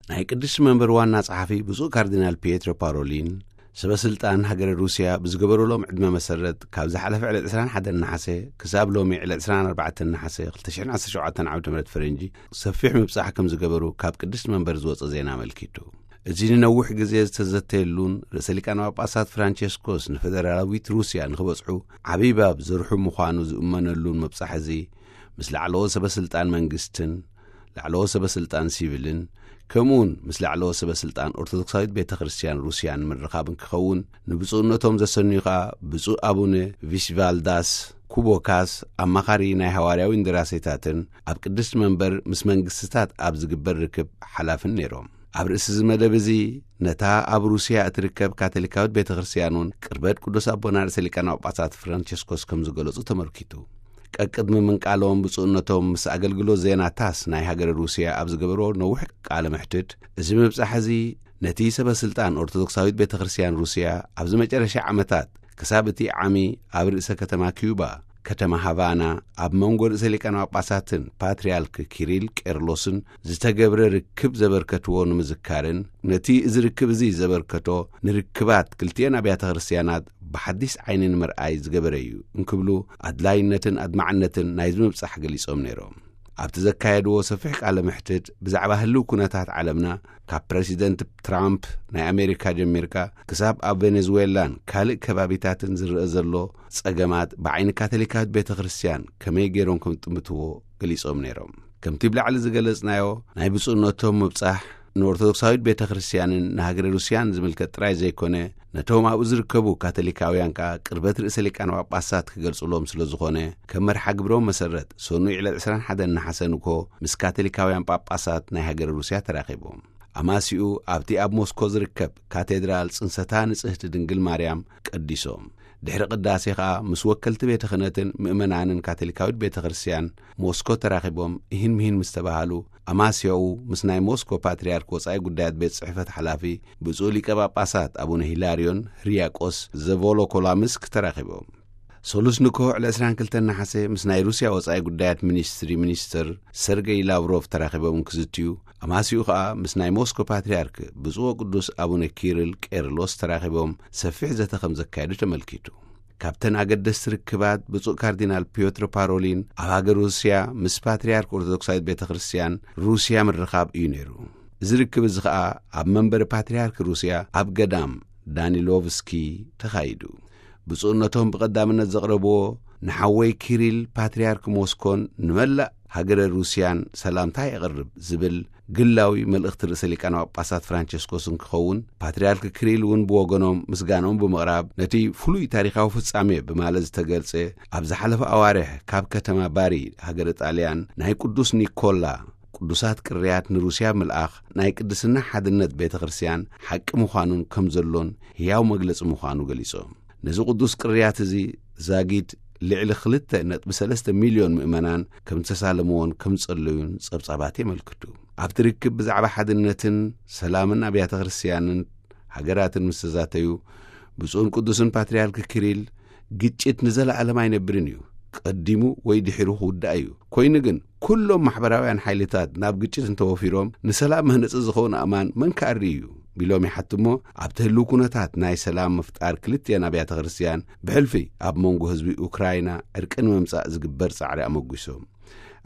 ናይ ቅድስቲ መንበር ዋና ጸሓፊ ብፁዕ ካርዲናል ፒየትሮ ፓሮሊን፣ ሰበ ስልጣን ሃገረ ሩስያ ብዝገበሩሎም ዕድመ መሰረት፣ ካብ ዝሓለፈ ዕለት ዕስራን ሓደን ነሓሰ ክሳብ ሎሚ ዕለት ዕስራን ኣርባዕተን ነሓሰ ክልተ ሽሕን ዓሰርተ ሸውዓተን ዓመተ ምህረት ፈረንጂ፣ ሰፊሕ ምብጻሕ ከም ዝገበሩ ካብ ቅድስቲ መንበር ዝወጸ ዜና ኣመልኪቱ። እዚ ንነዊሕ ግዜ ዝተዘተየሉን ርእሰ ሊቃነ ጳጳሳት ፍራንቸስኮስ ንፈደራላዊት ሩስያ ንኽበጽሑ ዓብዪ ባብ ዘርሑ ምዃኑ ዝእመነሉን ምብጻሕ እዚ፣ ምስ ላዕለዎ ሰበ ስልጣን መንግስትን ላዕለዎ ሰበ ስልጣን ሲቪልን፣ ከምኡውን ምስ ላዕለዎ ሰበ ስልጣን ኦርቶዶክሳዊት ቤተ ክርስቲያን ሩስያን ምርኻብን ክኸውን፣ ንብፁዕነቶም ዘሰንዩ ኸኣ ብፁዕ ኣቡነ ቪሽቫልዳስ ኩቦካስ፣ ኣማኻሪ ናይ ሃዋርያዊ እንደራሴታትን ኣብ ቅድስቲ መንበር ምስ መንግስትታት ኣብ ዝግበር ርክብ ሓላፍን ነይሮም። ኣብ ርእሲ እዚ መደብ እዚ፣ ነታ ኣብ ሩስያ እትርከብ ካቶሊካዊት ቤተ ክርስቲያን እውን ቅርበት ቅዱስ ኣቦና ርእሰ ሊቃነ ጳጳሳት ፍራንቸስኮስ ከም ዝገለጹ ተመልኪቱ። ቀቅድሚ ምንቃሎም ብፁዕነቶም ምስ ኣገልግሎት ዜና ታስ ናይ ሃገረ ሩስያ ኣብ ዝገበርዎ ነዊሕ ቃለ መሕትት፣ እዚ ምብጻሕ እዚ ነቲ ሰበ ስልጣን ኦርቶዶክሳዊት ቤተ ክርስቲያን ሩስያ ኣብዚ መጨረሻ ዓመታት ክሳብ እቲ ዓሚ ኣብ ርእሰ ከተማ ኪዩባ፣ ከተማ ሃቫና፣ ኣብ መንጎ ርእሰ ሊቃነ ጳጳሳትን ፓትርያርክ ኪሪል ቄርሎስን ዝተገብረ ርክብ ዘበርከትዎ ንምዝካርን፣ ነቲ እዚ ርክብ እዚ ዘበርከቶ ንርክባት ክልቲኤን ኣብያተ ክርስቲያናት ብሓዲስ ዓይኒ ንምርኣይ ዝገበረ እዩ እንክብሉ፣ ኣድላይነትን ኣድማዕነትን ናይዚ ምብጻሕ ገሊጾም ነይሮም። ኣብቲ ዘካየድዎ ሰፊሕ ቃለ መሕትት፣ ብዛዕባ ህልው ኩነታት ዓለምና፣ ካብ ፕረሲደንት ትራምፕ ናይ ኣሜሪካ ጀሚርካ፣ ክሳብ ኣብ ቬኔዙዌላን ካልእ ከባቢታትን ዝረአ ዘሎ ጸገማት ብዓይኒ ካቶሊካዊት ቤተ ክርስቲያን ከመይ ገይሮም ከም ዝጥምትዎ ገሊጾም ነይሮም። ከምቲ ብላዕሊ ዝገለጽናዮ፣ ናይ ብፁዕነቶም ምብጻሕ ንኦርቶዶክሳዊት ቤተ ክርስቲያንን ንሃገረ ሩስያን ዝምልከት ጥራይ ዘይኮነ፣ ነቶም ኣብኡ ዝርከቡ ካቶሊካውያን ከኣ ቅርበት ርእሰ ሊቃነ ጳጳሳት ክገልጹሎም ስለ ዝኾነ፣ ከም መርሓ ግብሮም መሰረት፣ ሰኑይ ዕለት ዕስራን ሓደን ነሓሰ ንግሆ ምስ ካቶሊካውያን ጳጳሳት ናይ ሃገረ ሩስያ ተራኺቦም። ኣማሲኡ ኣብቲ ኣብ ሞስኮ ዝርከብ ካቴድራል ጽንሰታ ንጽህቲ ድንግል ማርያም ቀዲሶም። ድሕሪ ቅዳሴ ኸኣ ምስ ወከልቲ ቤተ ክህነትን ምእመናንን ካቶሊካዊት ቤተ ክርስቲያን ሞስኮ ተራኺቦም እሂን ምሂን ምስ ተባሃሉ፣ ኣማስያኡ ምስ ናይ ሞስኮ ፓትርያርክ ወጻኢ ጉዳያት ቤት ጽሕፈት ሓላፊ ብፁዕ ሊቀ ጳጳሳት ኣቡነ ሂላርዮን ህርያቆስ ዘቮሎኮላምስክ ተራኺቦም። ሰሉስ ንግሆ ዕለት ዕስራን ክልተን ነሓሰ ምስ ናይ ሩስያ ወጻኢ ጉዳያት ሚኒስትሪ ሚኒስትር ሰርገይ ላቭሮቭ ተራኺቦም ክዝትዩ፣ ኣማስያኡ ኸኣ ምስ ናይ ሞስኮ ፓትርያርክ ብፁዕ ወቅዱስ ኣቡነ ኪሪል ቄርሎስ ተራኺቦም ሰፊሕ ዘተ ከም ዘካየዱ ተመልኪቱ። ካብተን ኣገደስቲ ርክባት፣ ብፁዕ ካርዲናል ፒዮትር ፓሮሊን ኣብ ሃገር ሩስያ ምስ ፓትርያርክ ኦርቶዶክሳዊት ቤተ ክርስቲያን ሩስያ ምርኻብ እዩ ነይሩ። እዚ ርክብ እዚ ኸኣ ኣብ መንበሪ ፓትርያርክ ሩስያ ኣብ ገዳም ዳኒሎቭስኪ ተኻይዱ። ብፁዕነቶም ብቐዳምነት ዘቕረብዎ፣ ንሓወይ ኪሪል ፓትርያርክ ሞስኮን ንመላእ ሃገረ ሩስያን ሰላምታ የቕርብ ዝብል ግላዊ መልእኽቲ ርእሰ ሊቃነ ጳጳሳት ፍራንቸስኮስ እንክኸውን፣ ፓትርያርክ ኪሪል እውን ብወገኖም ምስጋናኦም ብምቕራብ፣ ነቲ ፍሉይ ታሪኻዊ ፍጻሜ ብማለት ዝተገልጸ፣ ኣብ ዝሓለፈ ኣዋርሕ ካብ ከተማ ባሪ ሃገረ ጣልያን ናይ ቅዱስ ኒኮላ ቅዱሳት ቅርያት ንሩስያ ምልኣኽ ናይ ቅድስና ሓድነት ቤተ ክርስቲያን ሓቂ ምዃኑን ከም ዘሎን ህያው መግለጺ ምዃኑ ገሊጾም። ነዚ ቅዱስ ቅርያት እዚ ዛጊድ ልዕሊ ክልተ ነጥቢ ሰለስተ ሚልዮን ምእመናን ከም ዝተሳለምዎን ከም ዝጸለዩን ጸብጻባት የመልክቱ። ኣብቲ ርክብ ብዛዕባ ሓድነትን ሰላምን ኣብያተ ክርስቲያንን ሃገራትን ምስ ተዛተዩ፣ ብፁዕን ቅዱስን ፓትርያርክ ኪሪል፣ ግጭት ንዘለኣለም ኣይነብርን እዩ፣ ቀዲሙ ወይ ድሒሩ ክውዳእ እዩ። ኮይኑ ግን፣ ኩሎም ማሕበራውያን ሓይልታት ናብ ግጭት እንተወፊሮም፣ ንሰላም መህነጺ ዝኸውን ኣእማን መን ክኣሪ እዩ? ቢሎም ይሓትሞ፣ ኣብቲ ህልው ኩነታት ናይ ሰላም ምፍጣር ክልቲኤን ኣብያተ ክርስቲያን፣ ብሕልፊ ኣብ መንጎ ህዝቢ ኡክራይና ዕርቂ ንምምጻእ ዝግበር ጻዕሪ ኣመጒሶም።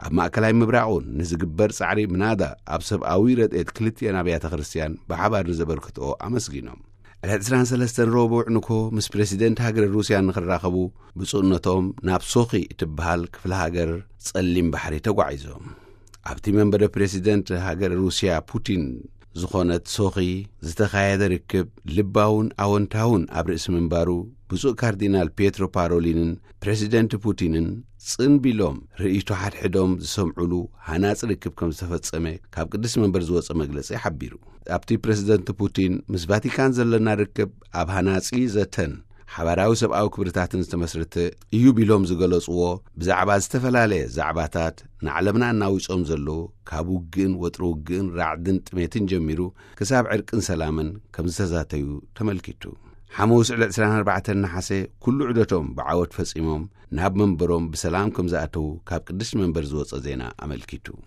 ኣብ ማእከላይ ምብራቕ እውን ንዝግበር ጻዕሪ ምናዳ ኣብ ሰብኣዊ ረድኤት ክልቲኤን ኣብያተ ክርስቲያን ብሓባር ንዘበርክትኦ ኣመስጊኖም። ዕለት ዕስራን ሰለስተን ረቡዕ ንግሆ ምስ ፕረሲደንት ሃገረ ሩስያ ንኽራኸቡ ብፁዕነቶም ናብ ሶኺ እትበሃል ክፍለ ሃገር ጸሊም ባሕሪ ተጓዒዞም። ኣብቲ መንበረ ፕረሲደንት ሃገረ ሩስያ ፑቲን ዝኾነት ሶኺ ዝተኻየደ ርክብ ልባውን ኣወንታውን ኣብ ርእሲ ምንባሩ፣ ብፁዕ ካርዲናል ፒየትሮ ፓሮሊንን ፕረሲደንት ፑቲንን ጽን ቢሎም ርእይቶ ሓድሕዶም ዝሰምዑሉ ሃናጺ ርክብ ከም ዝተፈጸመ ካብ ቅድስቲ መንበር ዝወጸ መግለጺ ሓቢሩ። ኣብቲ ፕረሲደንት ፑቲን ምስ ቫቲካን ዘለና ርክብ ኣብ ሃናጺ ዘተን ሓባራዊ ሰብኣዊ ክብርታትን ዝተመስረተ እዩ ቢሎም ዝገለጽዎ፣ ብዛዕባ ዝተፈላለየ ዛዕባታት ንዓለምና እናዊጾም ዘለዉ፣ ካብ ውግእን ወጥሪ ውግእን ራዕድን ጥሜትን ጀሚሩ ክሳብ ዕርቅን ሰላምን ከም ዝተዛተዩ ተመልኪቱ። ሓሙስ ዕለት ዕስራን ኣርባዕተን ነሓሰ ኩሉ ዑደቶም ብዓወት ፈጺሞም ናብ መንበሮም ብሰላም ከም ዝኣተዉ ካብ ቅድስቲ መንበር ዝወጸ ዜና ኣመልኪቱ።